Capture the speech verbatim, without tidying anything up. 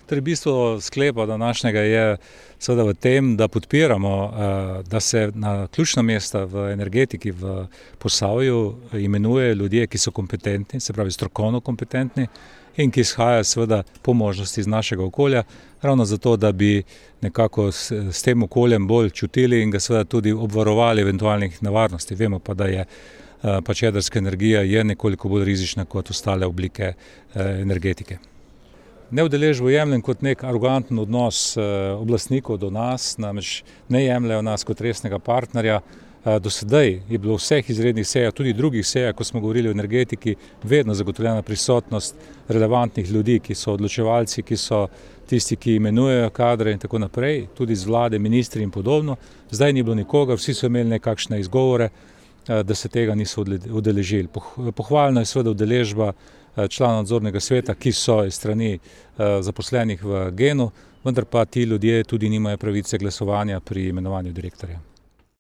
Torej, bistvo sklepa današnjega je seveda v tem, da podpiramo, da se na ključna mesta v energetiki v Posavju imenuje ljudje, ki so kompetentni, se pravi strokovno kompetentni in ki izhajajo seveda po možnosti iz našega okolja, ravno zato, da bi nekako s, s tem okoljem bolj čutili in ga seveda tudi obvarovali eventualnih nevarnosti. Vemo pa, da je pač jedrska energija je nekoliko bolj rizična kot ostale oblike energetike. Neudeležbo jemljem kot nek aroganten odnos oblastnikov do nas, namreč ne jemljajo nas kot resnega partnerja. Do sedaj je bilo v vseh izrednih sejah, tudi drugih sejah, ko smo govorili o energetiki, vedno zagotovljena prisotnost relevantnih ljudi, ki so odločevalci, ki so tisti, ki imenujejo kadre in tako naprej, tudi z vlade, ministri in podobno. Zdaj ni bilo nikogar, vsi so imeli nekakšne izgovore, da se tega niso udeležili. Pohvalna je seveda udeležba članov nadzornega sveta, ki so iz strani zaposlenih v Genu, vendar pa ti ljudje tudi nimajo pravice glasovanja pri imenovanju direktorja.